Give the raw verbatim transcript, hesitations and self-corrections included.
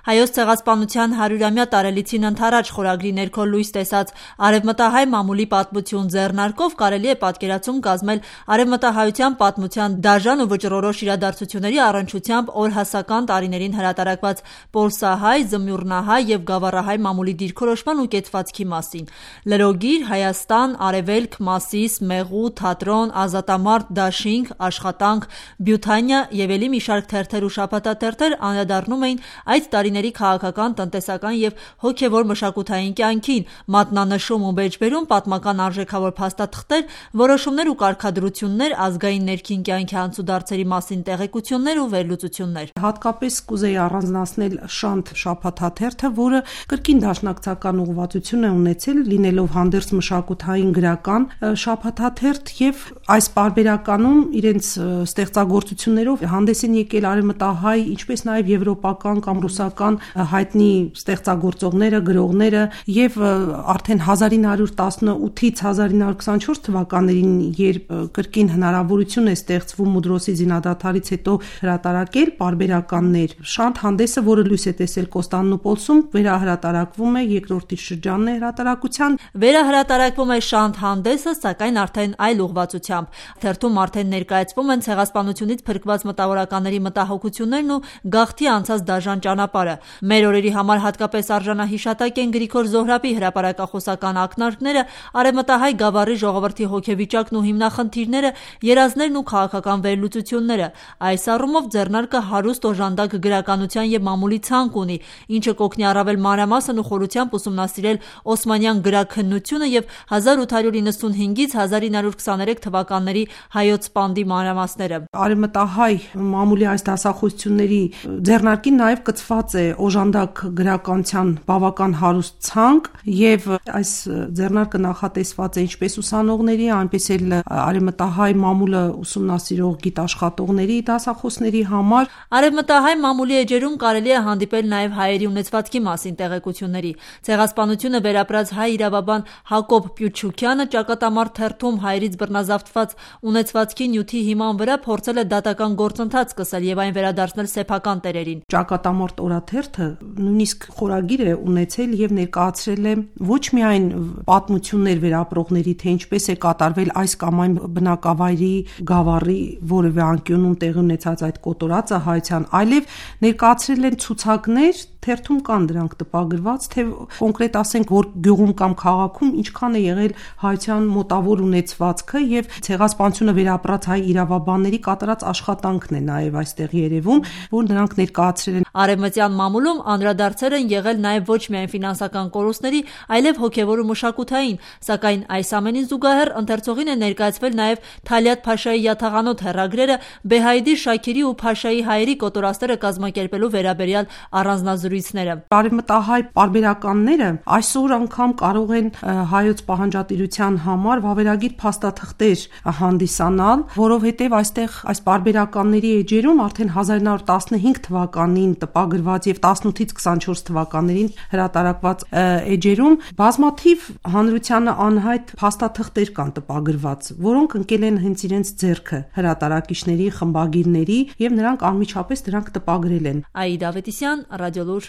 Հայոց ցեղասպանության հարյուրամյա տարելիցին ընդառաջ խորագրի ներքո լույս տեսած արևմտահայ մամուլի պատմություն ձեռնարկով կարելի է պատկերացում կազմել արևմտահայության պատմության դաժան ու վճռորոշ իրադարձությունների առնչությամբ օրհասական տարիներին հրատարակված պոլսահայ, զմյուռնահայ և գավառահայ մամուլի դիրքորոշման ու կեցվածքի մասին։ Լրոգիր, Հայաստան, Արևելք, Մասիս, Մեղու, Թատրոն, Ազատամարտ, Դաշինք, Աշխատանք, Բյութանիա և ելի մի շարք թերթեր ու շաբաթաթերթեր անդրադառնում էին այդ տարիների քաղաքական, տնտեսական և հոգևոր մշակութային կյանքին, մատնանշում ու մեջբերում պատմական արժեքավոր փաստաթղթեր, որոշումներ ու կարգադրություններ, ազգային ներքին կյանքի անցուդարձերի մասին տեղեկություններ ու վերլուծություններ։ Հատկապես կուզեի առանձնացնել Շանթ շաբաթաթերթը, որը կրկին դաշնակցական ուղղվածություն է ունեցել, լինելով հանդերձ մշակութային գրական շաբաթաթերթ և այս պարբերականում իրենց ստեղծագործություններով հանդես են եկել արևմտահայ, ինչպես նաև եվրոպական կամ ռուսական հայտնի ստեղծագործողները, գրողները և արդեն հազար ինը հարյուր տասնութից հազար ինը հարյուր քսանչորս թվականներին, երբ կրկին հնարավորություն է ստեղծվում Մուդրոսի զինադադարից հետո հրատարակել պարբերականներ, Շանթ հանդեսը, որը լույս է տեսել Կոստանդնուպոլսում, վերահրատարակվում է, երկրորդ շրջանն է հրատարակության։ Վերահրատարակվում է Շանթ հանդեսը, սակայն արդեն այլ ուղղվածությամբ։ Թերթում արդեն ներկայացվում են ցեղասպանությունից փրկված մտավորականների մտահոգություններն ու գաղթի անցած դաժան ճանապարհը։ Մեր օրերի համար հատկապես արժանահիշատակ են Գրիգոր Զոհրաբի հրապարակախոսական ակնարկները, արևմտահայ գավառի ժողովրդի հոգեվիճակն ու հիմնախնդիրները, երազներն ու քաղաքական վերլուծությունները։ Այս առումով ձեռնարկը հարուստ օժանդակ գրականության և մամուլի ցանկ ունի, ինչը կօգնի առավել մանրամասն ու խորությամբ ուսումնասիրել օսմանյան գրաքննությունը և հազար ութ հարյուր իննսունհինգից հազար ինը հարյուր քսաներեք թվականների հայոց պանդի մանրամասները։ Արևմտահայ մամուլի այս դասախոսությունների ձեռնարկին նաև կցված է օժանդակ գրականության բավական հարուստ ցանկ և այս ձեռնարկը նախատեսված է ինչպես ուսանողների, այնպես էլ արևմտահայ մամուլը ուսումնասիրող գիտաշխատողների դասախոսների համար։ Արևմտահայ մամուլի էջերում կարելի է հանդիպել նաև հայերի ունեցվածքի մասին տեղեկությունների։ Ցեղասպանությունը վերապրած հայ իրավաբան Հակոբ Պյուչուկյանը ճակատամարտ թերթում հայերից բռնազավթված ունեցվածքի նյութի հիման վրա փորձել է դատական գործընթաց սկսել և այն վերադարձնել սեփական տերերին։ Ճակատամարտ օրաթերթը նույնիսկ խորագիր է ունեցել և ներկայացրել է ոչ միայն պատմություններ վերապրողների, թե ինչպես է կատարվել այս կամ այն բնակավայրի, գավառի որևէ անկյունում տեղի ունեցած այդ կոտորածը հայության, այլև ներկայացրել են ցուցակներ, թերթում կան դրանք տպագրված, թե կոնկրետ ասենք, որ գյուղում կամ քաղաքում ինչքան է եղել հայության մոտավոր ունեցվածքը և ցեղասպանությունը վերապրած հայ իրավաբանների կատարած աշխատանքն է նաև այստեղ երևում, որ նրանք ներկայացրել են։ Արևմտյան մամուլում անդրադարձեր են եղել նաև ոչ միայն ֆինանսական կորուստների, այլև հոգևոր ու մշակութային, սակայն այս ամենին զուգահեռ ընթերցողին է ներկայացվել նաև Թալիաթ Փաշայի յաթաղանոթ հեռագրերը Բեհայդի Շաքիրի ու Փաշայի հայերի կոտորածները կազմակերպելու վերաբերյալ առանձնազրույցները։ Արևմտահայ պարբերականները այսօր անգամ կարող են հայոց պահանջատիրության համար վավերագիր փաստաթղթեր հանդիսանալ, որովհետև այստեղ այս պարբերականների էջերում արդեն հազար ինը հարյուր տասնհինգ թվականին տպագրված և տասնութից քսանչորս թվականներին հրատարակված էջերում բազմաթիվ հանրությանը անհայտ փաստաթղթեր կան տպագրված, որոնք ընկել են հենց իրենց ձեռքը հրատարակիչների, խմբագիրների և նրանք անմիջապես դրանք տպագրել են։ Աիդա Ավետիսյան, Ռադիոլուր։